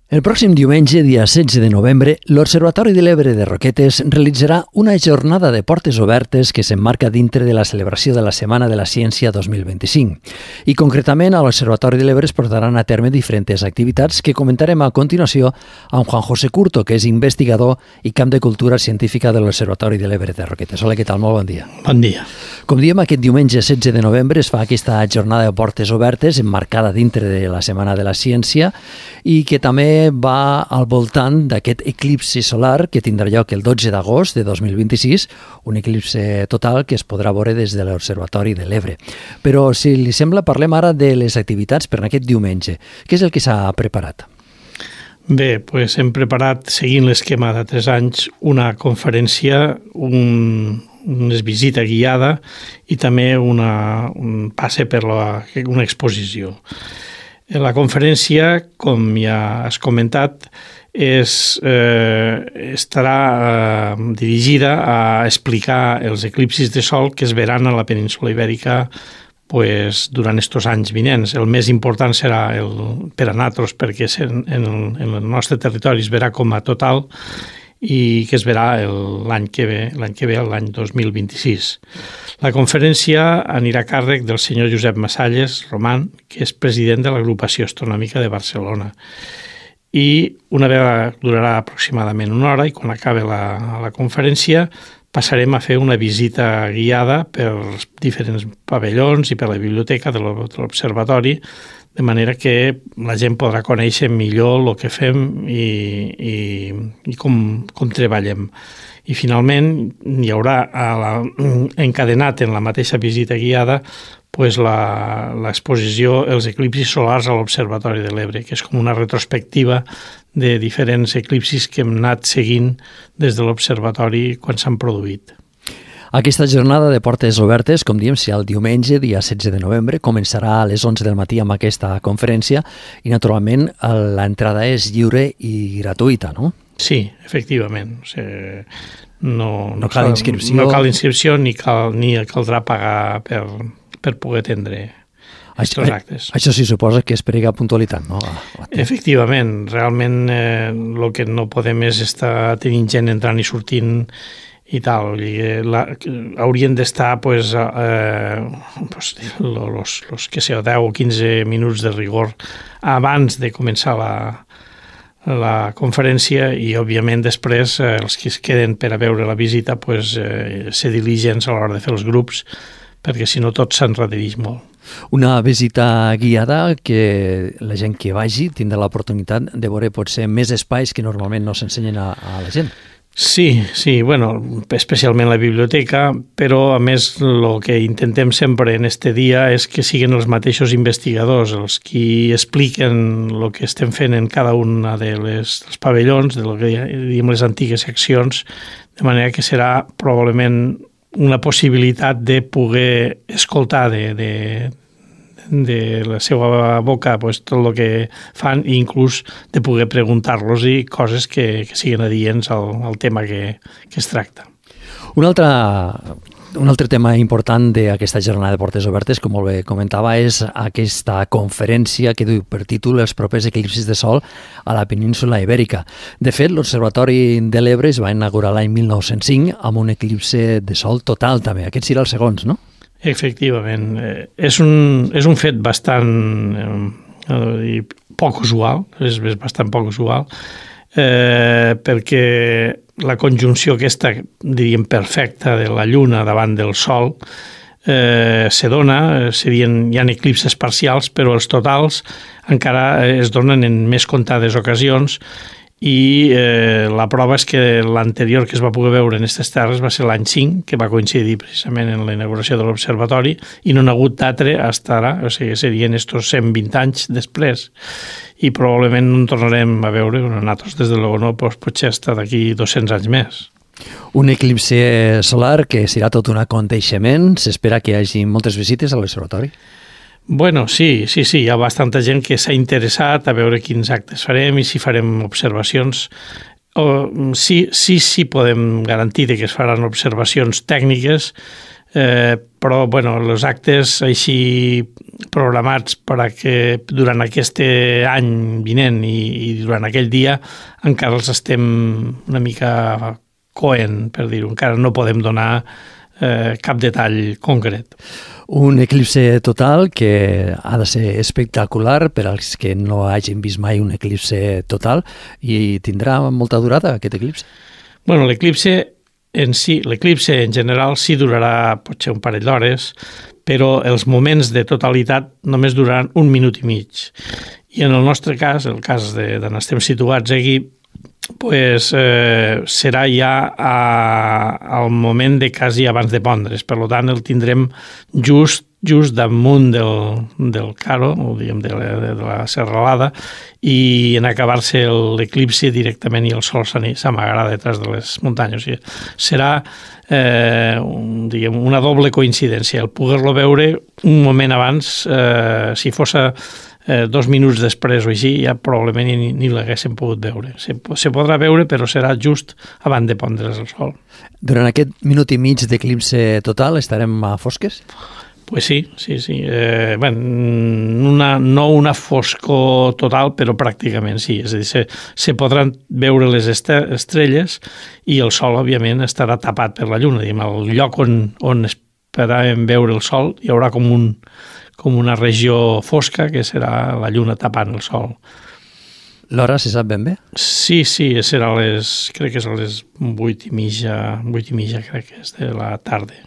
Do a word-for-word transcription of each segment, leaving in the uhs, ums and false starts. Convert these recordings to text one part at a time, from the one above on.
El pròxim diumenge, dia setze de novembre, l'Observatori de l'Ebre de Roquetes realitzarà una jornada de portes obertes que s'emmarca dintre de la celebració de la Setmana de la Ciència dos mil vint-i-cinc. I concretament a l'Observatori de l'Ebre es portaran a terme diferents activitats que comentarem a continuació amb Juan José Curto, que és investigador i camp de cultura científica de l'Observatori de l'Ebre de Roquetes. Hola, què tal? Molt bon dia. Bon dia. Com diem, aquest diumenge setze de novembre es fa aquesta jornada de portes obertes emmarcada dintre de la Setmana de la Ciència i que també va al voltant d'aquest eclipsi solar que tindrà lloc el dotze d'agost de dos mil vint-i-sis, un eclipsi total que es podrà veure des de l'Observatori de l'Ebre. Però, si li sembla, parlem ara de les activitats per aquest diumenge. Què és el que s'ha preparat? Bé, doncs hem preparat, seguint l'esquema de tres anys, una conferència, un, una visita guiada i també una, un passe per la, una exposició. La conferència, com ja has comentat, és, eh, estarà eh, dirigida a explicar els eclipsis de sol que es veran a la península Ibèrica pues, durant aquests anys vinents. El més important serà el, per a nosaltres, perquè en, en, el, en el nostre territori es verà com a total i que es verà l'any que ve, l'any que ve, l'any dos mil vint-i-sis. La conferència anirà a càrrec del senyor Josep Massalles Roman, que és president de l'Agrupació Astronòmica de Barcelona. I una vegada durarà aproximadament una hora i quan acabi la, la conferència passarem a fer una visita guiada per diferents pavellons i per la biblioteca de l'Observatori, de manera que la gent podrà conèixer millor el que fem i, i, i com, com treballem. I finalment hi haurà a la, encadenat en la mateixa visita guiada pues l'exposició Els eclipsis solars a l'Observatori de l'Ebre, que és com una retrospectiva de diferents eclipsis que hem anat seguint des de l'Observatori quan s'han produït. Aquesta jornada de portes obertes, com diem, serà el diumenge, dia setze de novembre, començarà a les onze del matí amb aquesta conferència i, naturalment, l'entrada és lliure i gratuïta, no? Sí, efectivament. O sigui, no, no cal inscripció. No cal inscripció ni, cal, ni caldrà pagar per, per poder atendre aquests actes. Això sí suposa que es prega puntualitat, no? Efectivament. Realment eh, el que no podem és estar tenint gent entrant i sortint i tal, la, haurien d'estar pues, eh, pues, los, los que sé, deu o quinze minuts de rigor abans de començar la, la conferència i, òbviament, després eh, els que es queden per a veure la visita pues, eh, ser diligents a l'hora de fer els grups, perquè si no tot s'enredireix molt. Una visita guiada que la gent que vagi tindrà l'oportunitat de veure potser més espais que normalment no s'ensenyen a, a la gent. Sí, sí, bueno, especialment la biblioteca, però a més el que intentem sempre en este dia és que siguin els mateixos investigadors els qui expliquen el que estem fent en cada una de les, dels pavellons, de lo que diem les antigues seccions, de manera que serà probablement una possibilitat de poder escoltar de, de, de la seva boca pues, tot el que fan i inclús de poder preguntar-los i coses que, que siguin adients al, al tema que, que es tracta. Un altre, un altre tema important d'aquesta jornada de portes obertes, com molt bé comentava, és aquesta conferència que du per títol Els propers eclipsis de sol a la península Ibèrica. De fet, l'Observatori de l'Ebre es va inaugurar l'any mil nou-cents cinc amb un eclipsi de sol total també. Aquest serà el segons, no? Efectivament. Eh, és, un, és un fet bastant eh, poc usual, és, és bastant poc usual, eh, perquè la conjunció aquesta, diríem, perfecta de la Lluna davant del Sol eh, se dona, serien, hi ha eclipses parcials, però els totals encara es donen en més comptades ocasions i eh, la prova és que l'anterior que es va poder veure en aquestes terres va ser l'any cinc, que va coincidir precisament en la inauguració de l'Observatori i no n'ha hagut d'altre fins ara, o sigui, serien estos cent vint anys després i probablement no en tornarem a veure, nosaltres des de l'Ogonó doncs, potser hasta d'aquí dos-cents anys més. Un eclipsi solar que serà tot un aconteixement, s'espera que hi hagi moltes visites a l'Observatori. Bueno, sí, sí, sí, hi ha bastanta gent que s'ha interessat a veure quins actes farem i si farem observacions. O, sí, sí, sí podem garantir que es faran observacions tècniques, eh, però bueno, els actes així programats per a que durant aquest any vinent i, i durant aquell dia encara els estem una mica coent, per dir-ho. Encara no podem donar eh, cap detall concret. Un eclipse total que ha de ser espectacular per als que no hagin vist mai un eclipse total, i tindrà molta durada aquest eclipse? Bueno, l'eclipse en si, l'eclipse en general sí durarà potser un parell d'hores, però els moments de totalitat només duraran un minut i mig. I en el nostre cas, el cas d'on estem situats aquí, pues, eh, serà ja a, al moment de quasi abans de pondre's. Per tant, el tindrem just just damunt del, del caro, o diguem, de la, de la serralada, i en acabar-se l'eclipsi directament i el sol s'amagarà detrás de les muntanyes. O sigui, serà eh, un, diguem, una doble coincidència. El poder-lo veure un moment abans, eh, si fos eh, dos minuts després o així, ja probablement ni, ni l'haguéssim pogut veure. Se, se podrà veure, però serà just abans de pondre's el sol. Durant aquest minut i mig d'eclipse total estarem a fosques? Pues sí, sí, sí. Eh, bueno, una, no una foscor total, però pràcticament sí. És a dir, se, se podran veure les estrelles i el sol, òbviament, estarà tapat per la lluna. Diguem, el lloc on, on esperàvem veure el sol hi haurà com, un, com una regió fosca que serà la lluna tapant el sol. L'hora se sap ben bé? Sí, sí, serà a les, crec que és a les vuit i mitja, vuit i mitja crec que és de la tarda.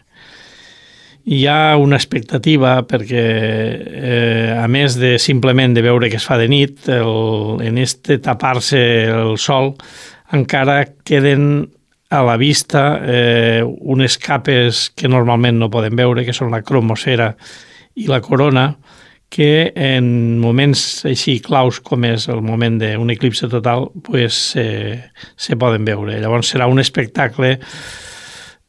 Hi ha una expectativa perquè, eh, a més de simplement de veure que es fa de nit, el, en este tapar-se el sol, encara queden a la vista eh, unes capes que normalment no podem veure, que són la cromosfera i la corona, que en moments així claus com és el moment d'un eclipse total, pues, eh, se poden veure. Llavors serà un espectacle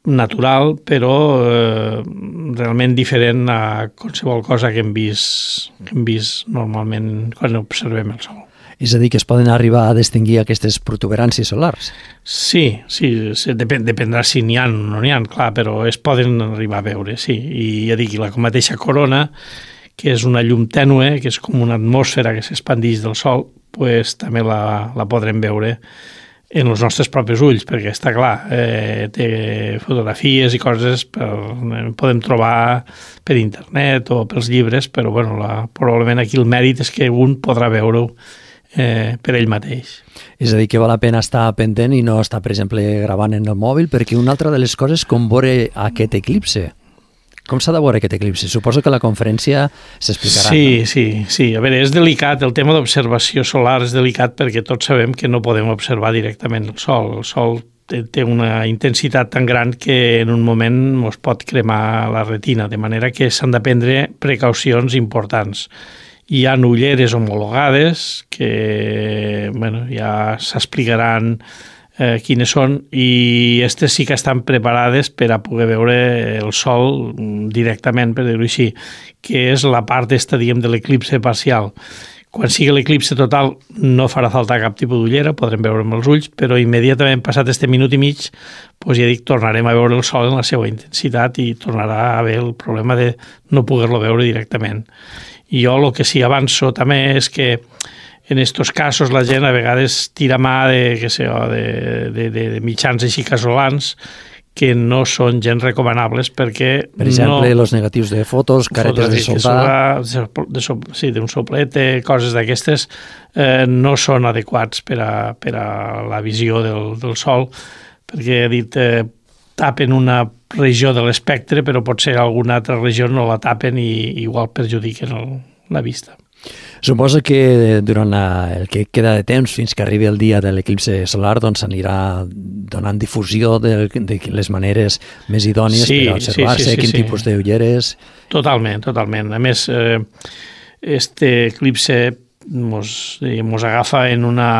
natural, però eh, realment diferent a qualsevol cosa que hem vist, que hem vist normalment quan observem el sol. És a dir, que es poden arribar a distingir aquestes protuberàncies solars? Sí, sí, depèn, dependrà si n'hi ha o no n'hi ha, clar, però es poden arribar a veure, sí. I ja dic, la mateixa corona, que és una llum tènue, que és com una atmosfera que s'expandeix del sol, pues, també la, la podrem veure en els nostres propis ulls, perquè està clar, eh, té fotografies i coses per, eh, podem trobar per internet o pels llibres, però bueno, la, probablement aquí el mèrit és que un podrà veure-ho eh, per ell mateix. És a dir, que val la pena estar pendent i no estar, per exemple, gravant en el mòbil, perquè una altra de les coses com veure aquest eclipse. Com s'ha de veure aquest eclipse? Suposo que la conferència s'explicarà. Sí, no? sí, sí. A veure, és delicat, el tema d'observació solar és delicat perquè tots sabem que no podem observar directament el sol. El sol té una intensitat tan gran que en un moment ens pot cremar la retina, de manera que s'han de prendre precaucions importants. Hi ha ulleres homologades que bueno, ja s'explicaran Eh, quines són, i aquestes sí que estan preparades per a poder veure el sol directament, per dir-ho així, que és la part esta, diguem, de l'eclipse parcial. Quan sigui l'eclipse total no farà falta cap tipus d'ullera, podrem veure amb els ulls, però immediatament passat este minut i mig, doncs ja dic, tornarem a veure el sol en la seva intensitat i tornarà a haver el problema de no poder-lo veure directament. I jo el que sí avanço també és que en estos casos la gent a vegades tira mà de, que sé, de, de, de, de mitjans així casolans que no són gens recomanables perquè... Per exemple, no, els negatius de fotos, caretes de soldar... De, de, sí, d'un soplete, coses d'aquestes, eh, no són adequats per a, per a la visió del, del sol, perquè he dit, eh, tapen una regió de l'espectre, però potser alguna altra regió no la tapen i igual perjudiquen el, la vista. Suposo que durant el que queda de temps fins que arribi el dia de l'eclipse solar doncs s'anirà donant difusió de, de les maneres més idònies sí, per observar-se, sí, sí, sí, quin sí. tipus d'ulleres... Totalment, totalment. A més, eh, este eclipse mos, mos agafa en una,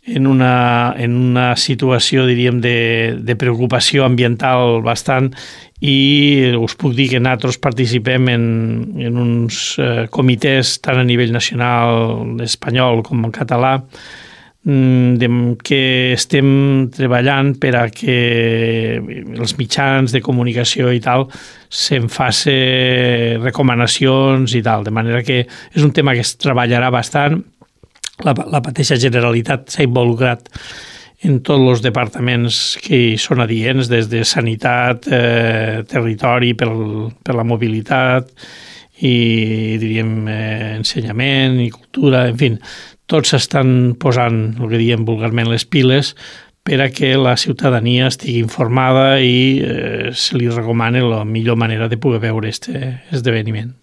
en una, en una situació, diríem, de, de preocupació ambiental bastant, i us puc dir que nosaltres participem en, en uns eh, comitès tant a nivell nacional espanyol com en català de, que estem treballant per a que els mitjans de comunicació i tal se'n faci recomanacions i tal, de manera que és un tema que es treballarà bastant. La, la mateixa Generalitat s'ha involucrat en tots els departaments que hi són adients, des de sanitat, eh, territori, per, per la mobilitat i, diríem, eh, ensenyament i cultura, en fi, tots s'estan posant, el que diem vulgarment, les piles per a que la ciutadania estigui informada i eh, se li recomani la millor manera de poder veure aquest esdeveniment.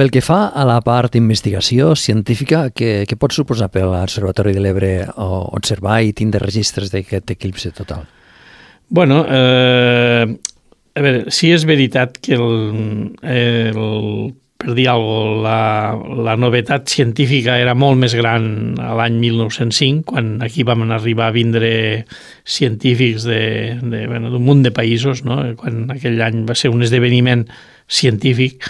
Pel que fa a la part d'investigació científica, què, què pot suposar per a l'Observatori de l'Ebre observar i tindre registres d'aquest eclipsi total? Bueno, eh, a veure, sí és veritat que el, el per dir alguna cosa, la, la novetat científica era molt més gran a l'any mil nou-cents cinc, quan aquí vam arribar a vindre científics de, de, bueno, d'un munt de països, no? Quan aquell any va ser un esdeveniment científic.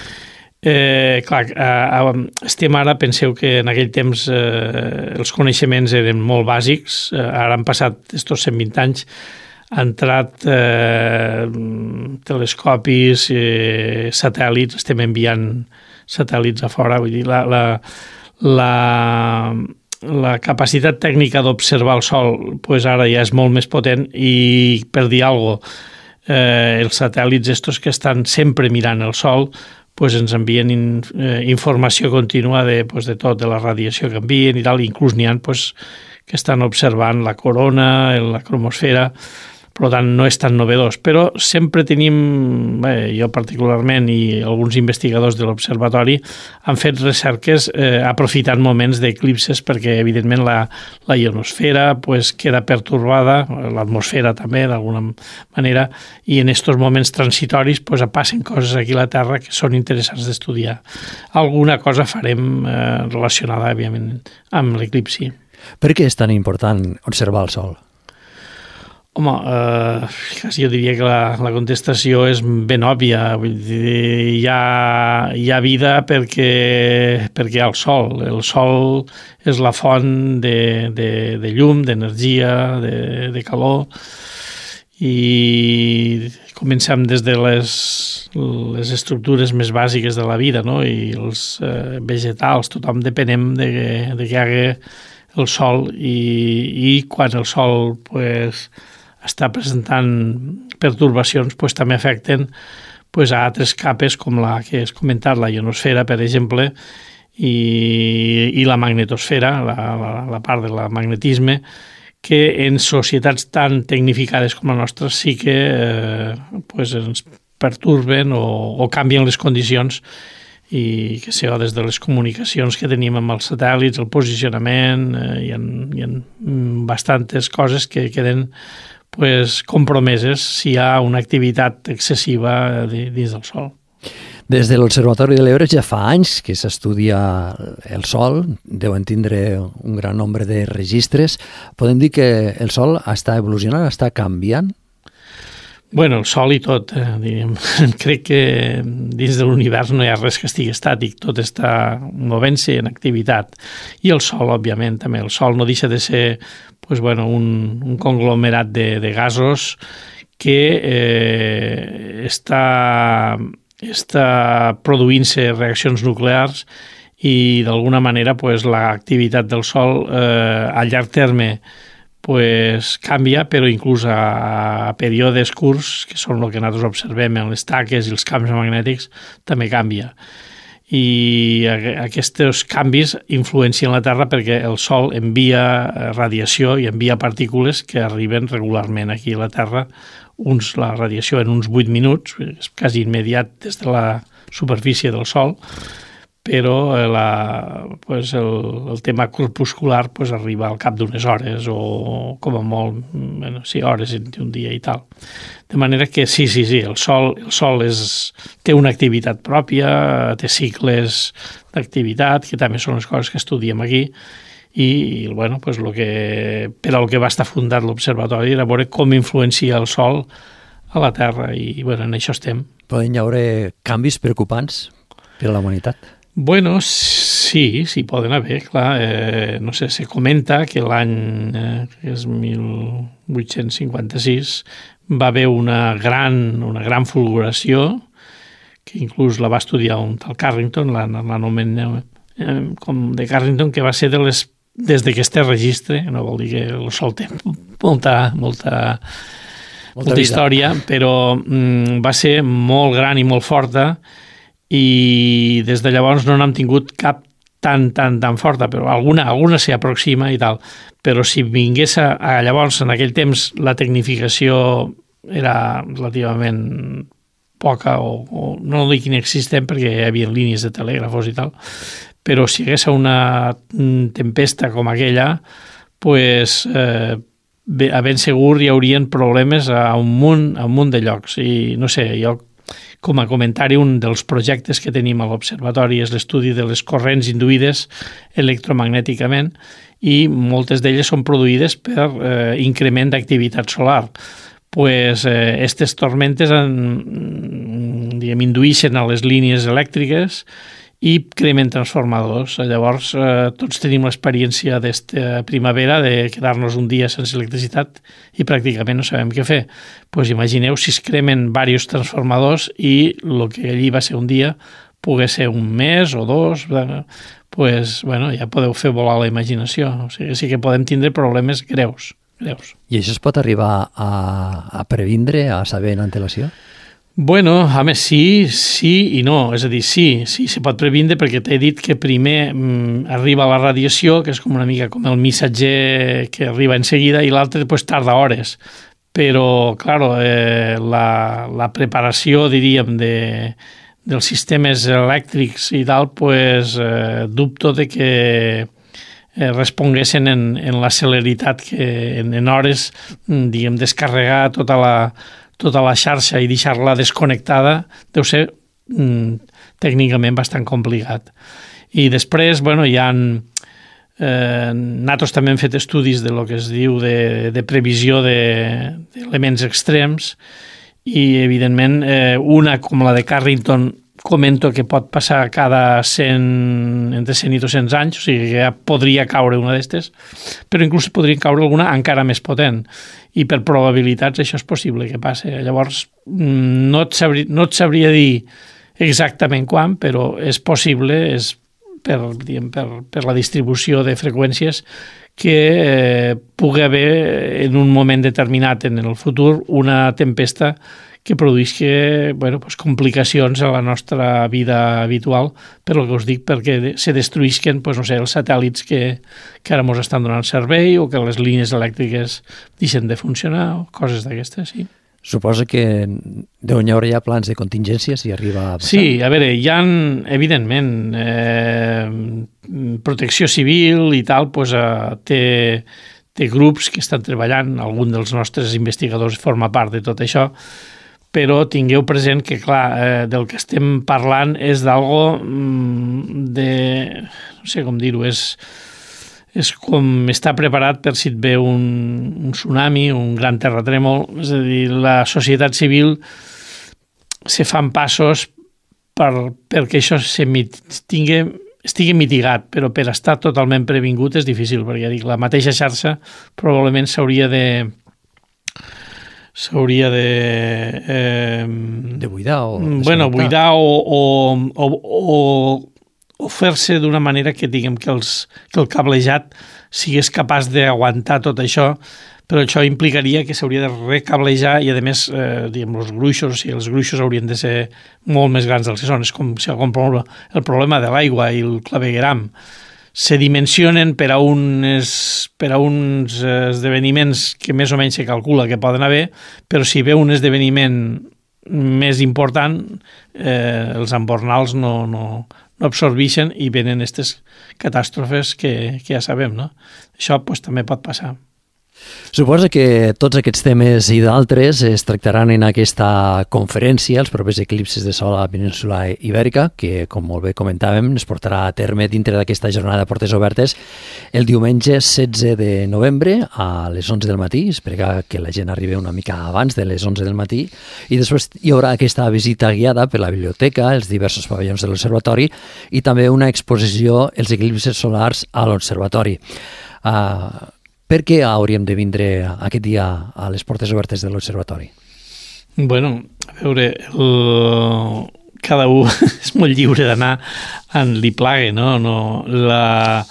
Eh, clar, eh, estem ara, penseu que en aquell temps eh, els coneixements eren molt bàsics, eh, ara han passat estos cent vint anys, ha entrat eh, telescopis, eh, satèl·lits, estem enviant satèl·lits a fora, vull dir, la, la, la, la capacitat tècnica d'observar el Sol pues ara ja és molt més potent i, per dir alguna cosa, eh, els satèl·lits estos que estan sempre mirant el Sol pues ens envien in, eh, informació contínua de, pues, de tot, de la radiació que envien i tal, inclús n'hi ha pues, que estan observant la corona, la cromosfera, per tant no és tan novedós, però sempre tenim, bé, jo particularment i alguns investigadors de l'observatori han fet recerques eh, aprofitant moments d'eclipses perquè evidentment la, la ionosfera pues, queda pertorbada, l'atmosfera també d'alguna manera, i en aquests moments transitoris pues, passen coses aquí a la Terra que són interessants d'estudiar. Alguna cosa farem eh, relacionada, òbviament, amb l'eclipsi. Per què és tan important observar el Sol? Home, eh, quasi jo diria que la, la contestació és ben òbvia. Vull dir, hi ha, hi ha vida perquè, perquè hi ha el sol. El sol és la font de, de, de llum, d'energia, de, de calor, i comencem des de les, les estructures més bàsiques de la vida, no? I els eh, vegetals, tothom depenem de, de que hi hagi el sol i, i quan el sol pues, està presentant pertorbacions pues, també afecten pues, a altres capes com la que has comentat, la ionosfera, per exemple, i, i la magnetosfera, la, la, la part del magnetisme, que en societats tan tecnificades com la nostra sí que eh, pues, ens perturben o, o canvien les condicions i que sé, des de les comunicacions que tenim amb els satèl·lits, el posicionament, eh, hi, ha, hi ha bastantes coses que queden pues, compromeses si hi ha una activitat excessiva dins del Sol. Des de l'Observatori de l'Ebre ja fa anys que s'estudia el Sol, deuen tindre un gran nombre de registres. Podem dir que el Sol està evolucionant, està canviant? Bueno, el Sol i tot, eh, diríem. Crec que dins de l'univers no hi ha res que estigui estàtic, tot està movent-se en activitat. I el Sol, òbviament, també. El Sol no deixa de ser pues, bueno, un, un conglomerat de, de gasos que eh, està, està produint-se reaccions nuclears i d'alguna manera pues, l'activitat del Sol eh, a llarg terme pues, canvia, però inclús a, a períodes curts, que són el que nosaltres observem en les taques i els camps magnètics, també canvia. I aquests canvis influencien la Terra perquè el Sol envia radiació i envia partícules que arriben regularment aquí a la Terra, uns, la radiació en uns vuit minuts, és quasi immediat des de la superfície del Sol, però la, pues el, el tema corpuscular pues, arriba al cap d'unes hores o com a molt, bueno, sí, hores en un dia i tal. De manera que sí, sí, sí, el Sol, el sol és, té una activitat pròpia, té cicles d'activitat, que també són les coses que estudiem aquí, i bueno, pues, lo que, per al que va estar fundat l'observatori era veure com influencia el Sol a la Terra, i bueno, en això estem. Poden hi haure canvis preocupants per a la humanitat? Bueno, sí, sí poden haver, clar. Eh, no sé, se comenta que l'any eh, que és mil vuit-cents cinquanta-sis va haver una gran, una gran fulguració, que inclús la va estudiar un tal Carrington, l'anomena eh, com de Carrington, que va ser de les, des de que este registre, no vol dir que el sol té molta, molta, molta, molta història, però mm, va ser molt gran i molt forta, i des de llavors no n'hem tingut cap tan, tan, tan forta, però alguna, alguna s'hi aproxima i tal. Però si vingués a, a llavors, en aquell temps, la tecnificació era relativament poca, o, o no dic inexistent, perquè hi havia línies de telègrafos i tal, però si hi hagués una tempesta com aquella, pues, eh, a ben segur hi haurien problemes a un munt, a un munt de llocs. I no sé, jo com a comentari, un dels projectes que tenim a l'Observatori és l'estudi de les corrents induïdes electromagnèticament, i moltes d'elles són produïdes per eh, increment d'activitat solar. Pues, eh, estes tormentes en, diguem, induïxen a les línies elèctriques i cremen transformadors. Llavors, eh, tots tenim l'experiència d'esta primavera de quedar-nos un dia sense electricitat i pràcticament no sabem què fer. Pues imagineu si es cremen diversos transformadors i el que allí va ser un dia pogués ser un mes o dos, pues, bueno, ja podeu fer volar la imaginació. O sigui, sí que podem tindre problemes greus. greus. I això es pot arribar a, a previndre, a saber en antelació? Bueno, a més, sí, sí i no. És a dir, sí, sí, se pot previndre, perquè t'he dit que primer mm, arriba la radiació, que és com una mica com el missatger que arriba en seguida, i l'altre pues, tarda hores. Però, claro, eh, la, la preparació, diríem, de, dels sistemes elèctrics i tal, pues, eh, dubto de que eh, responguessin en, en la celeritat que en, en hores, diguem, descarregar tota la tota la xarxa i deixar-la desconnectada deu ser mm, tècnicament bastant complicat. I després, bueno, hi ha... Eh, nosaltres també hem fet estudis de lo que es diu de, de previsió d'elements de, extrems, i, evidentment, eh, una com la de Carrington comento que pot passar cada cent, entre cent i dos-cents anys, o sigui que ja podria caure una d'estes, però inclús podria caure alguna encara més potent, i per probabilitats això és possible que passi. Llavors, no et sabria, no et sabria dir exactament quan, però és possible, és per, diguem, per, per la distribució de freqüències, que eh, pugui haver en un moment determinat en el futur una tempesta que produïsca, bueno, pues, complicacions a la nostra vida habitual, per el que us dic, perquè se destruïsquen, pues, no sé, els satèl·lits que, que ara ens estan donant servei, o que les línies elèctriques deixen de funcionar, o coses d'aquestes, sí. Suposo que deuen hi haver ja plans de contingència si arriba a passar. Sí, a veure, hi ha, evidentment, eh, protecció civil i tal, pues, eh, té, té grups que estan treballant, algun dels nostres investigadors forma part de tot això, però tingueu present que, clar, eh, del que estem parlant és d'algo de... no sé com dir-ho, és, és com estar preparat per si et ve un, un tsunami, un gran terratrèmol. És a dir, la societat civil se fan passos per, perquè això se mit, tingui, estigui mitigat, però per estar totalment previngut és difícil, perquè ja dic, la mateixa xarxa probablement s'hauria de... s'hauria de... Eh, de buidar o... Bueno, buidar o, o, o, o, o fer-se d'una manera que, diguem, que, els, que el cablejat sigués capaç d'aguantar tot això, però això implicaria que s'hauria de recablejar i, a més, eh, diguem, els gruixos, o sigui, els gruixos haurien de ser molt més grans dels que són. És com si el problema de l'aigua i el clavegueram se dimensionen per a, unes, per a uns esdeveniments que més o menys se calcula que poden haver, però si ve un esdeveniment més important, eh, els embornals no, no, no absorbeixen i venen aquestes catàstrofes que, que ja sabem, no? Això pues, també pot passar. Suposo que tots aquests temes i d'altres es tractaran en aquesta conferència, els propers eclipsis de sol a la península Ibèrica, que, com molt bé comentàvem, es portarà a terme dintre d'aquesta jornada de portes obertes el diumenge setze de novembre a les onze del matí. Espero que la gent arribi una mica abans de les onze del matí, i després hi haurà aquesta visita guiada per la biblioteca, els diversos pavellons de l'observatori i també una exposició els eclipsis solars a l'observatori. Uh, Per què hauríem de vindre aquest dia a les portes obertes de l'observatori? Bueno, a veure, el... cada un és molt lliure d'anar on li plague, no? no la,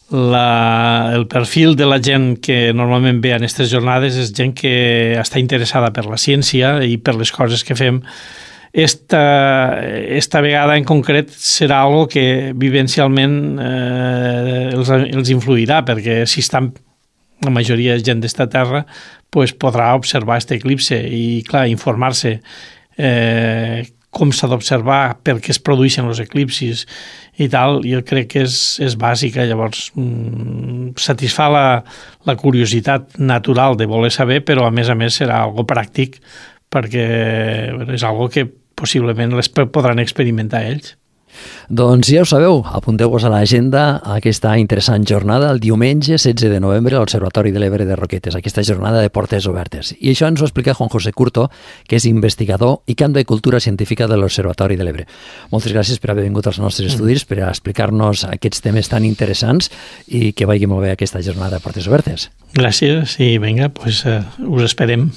la, el perfil de la gent que normalment ve a aquestes jornades és gent que està interessada per la ciència i per les coses que fem. Esta, esta vegada en concret serà algo que vivencialment eh, els, els influirà, perquè si estan la majoria de gent d'esta terra pues, podrà observar aquest eclipse i, clar, informar-se eh, com s'ha d'observar, per què es produeixen els eclipsis i tal. Jo crec que és, és bàsica. Llavors, mm, satisfà la, la curiositat natural de voler saber, però a més a més serà algo pràctic perquè bueno, és algo que possiblement les podran experimentar ells. Doncs ja ho sabeu, apunteu-vos a l'agenda a aquesta interessant jornada el diumenge setze de novembre a l'Observatori de l'Ebre de Roquetes, aquesta jornada de portes obertes. I això ens ho explica Juan José Curto, que és investigador i camp de cultura científica de l'Observatori de l'Ebre. Moltes gràcies per haver vingut als nostres estudis, per explicar-nos aquests temes tan interessants i que vagi molt bé aquesta jornada de portes obertes. Gràcies i vinga, pues, uh, us esperem.